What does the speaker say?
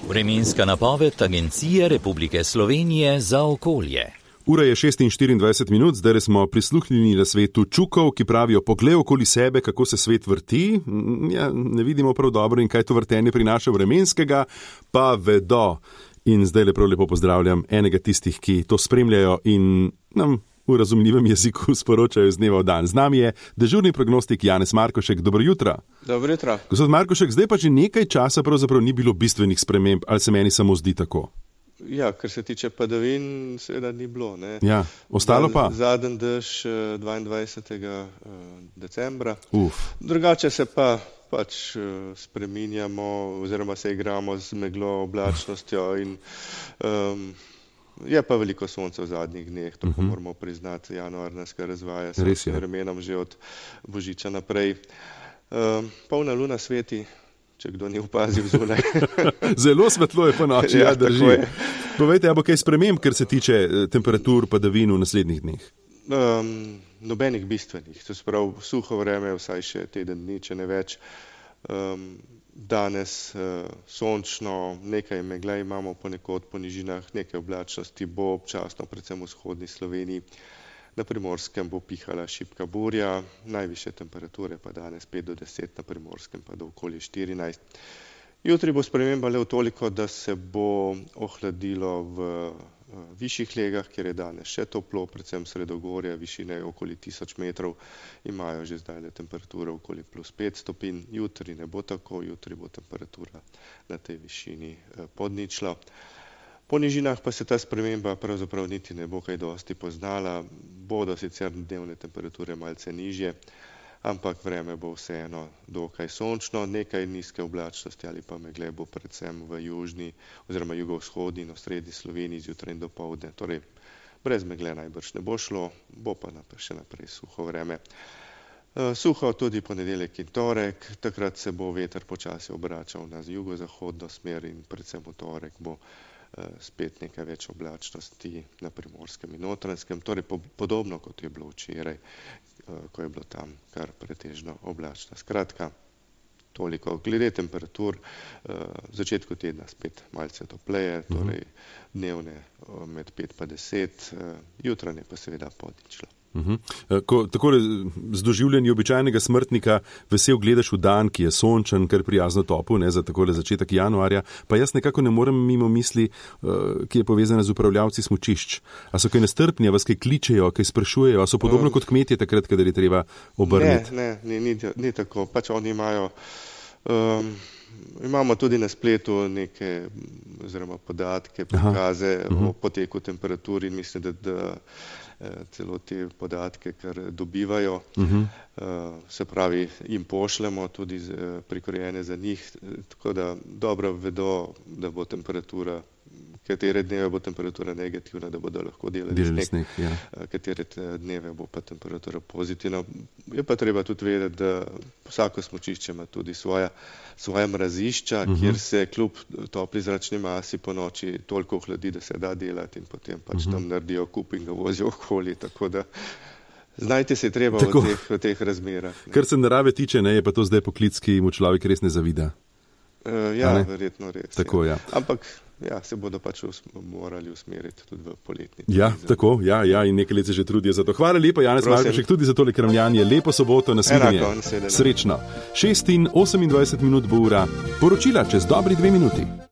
Vremenska napoved Agencije Republike Slovenije za okolje. Ura je 6:24, zdaj smo prisluhnili na svetu čukov, ki pravijo: poglej okoli sebe, kako se svet vrti. Ja, ne vidimo prav dobro in kaj to vrtenje prinaša vremenskega, pa vedo. In zdaj lepo pozdravljam enega tistih, ki to spremljajo in nam v razumljivem jeziku sporočajo iz dneva v dan. Z nami je dežurni prognostik Janez Markošek. Dobro jutro. Dobro jutro. Gospod Markošek, zdaj pa že nekaj časa pravzaprav ni bilo bistvenih sprememb, ali se meni samo zdi tako? Ja, kar se tiče padavin, seveda ni bilo. Ne? Ja, ostalo pa? Zadnji dež 22. decembra. Drugače se pa pač spreminjamo oziroma se igramo z meglo, oblačnostjo in je pa veliko sonca v zadnjih dneh, to moramo priznati. Januar nas kar razvaja s vremenom že od Božiča naprej. Polna luna sveti, če kdo ni opazil zunaj. Zelo svetlo je po noči, ja, drži. Povejte, a bo kaj sprememb, kar se tiče temperatur padavin v naslednjih dneh? Nobenih bistvenih. To se pravi, suho vreme, vsaj še teden dni, če ne več. Danes sončno, nekaj megle imamo ponekod po nižinah, nekaj oblačnosti bo občasno, predvsem v vzhodni Sloveniji. Na Primorskem bo pihala šibka burja, najvišje temperature pa danes 5 do 10, na Primorskem pa do okoli 14. Jutri bo sprememba le v toliko, da se bo ohladilo v višjih legah, kjer je danes še toplo, predvsem sredogorja, višine okoli 1000 metrov, imajo že zdaj temperature okoli +5 stopinj. Jutri ne bo tako, jutri bo temperatura na tej višini pod ničlo. Po nižinah pa se ta sprememba pravzaprav niti ne bo kaj dosti poznala, bodo sicer dnevne temperature malce nižje, ampak vreme bo vseeno dokaj sončno, nekaj nizke oblačnosti ali pa megle bo predvsem v južni oziroma jugovzhodni in osrednji Sloveniji zjutraj in dopoldne. Torej, brez megle najbrž ne bo šlo, bo pa še naprej suho vreme. Suho tudi ponedeljek in torek, takrat se bo veter počasi obračal na jugozahodno smer in predvsem v torek bo spet nekaj več oblačnosti na Primorskem in Notranjskem, torej podobno kot je bilo včeraj, ko je bilo tam kar pretežno oblačno. Skratka, toliko. Glede temperatur, v začetku tedna spet malce topleje, torej dnevne med 5 pa 10, jutranje pa seveda pod ničlo. Ko takole z doživljanjem običajnega smrtnika vesel gledaš v dan, ki je sončen, kar prijazno topel, ne, za takole začetek januarja, pa jaz nekako ne morem mimo misli, ki je povezana z upravljavci smučišč. A so kaj nestrpni, a vas kaj kličejo, kaj sprašujejo, a so podobno kot kmetje takrat, kadar je treba obrniti? Ni tako. Pač oni imamo tudi na spletu neke oziroma podatke, prikaze o poteku temperatur in mislim, da celo te podatke, kar dobivajo, se pravi, jim pošljemo tudi prikrojene za njih, tako da dobro vedo, da bo temperatura, katere dneve bo temperatura negativna, da bodo lahko delali sneg, katere dneve bo pa temperatura pozitivna. Je pa treba tudi vedeti, da vsako smučišče ima tudi svoja mrazišča, kjer se kljub topli zračni masi po noči toliko ohladi, da se da delati in potem pač tam naredijo kup in ga vozijo okoli, tako da znajte se treba v teh razmerah. Kar se narave tiče, ne, je pa to zdaj poklic, ki mu človek res ne zavida. Verjetno res. Tako, ja. Ampak se bodo pač morali usmeriti tudi v poletni. Tako, in nekaj let se že trudijo za to. Hvala lepa, Janez Markošek, tudi za tole kramljanje. Lepo soboto, nasvidenje. Srečno. 6:28 bo ura. Poročila čez dobri 2 minuti.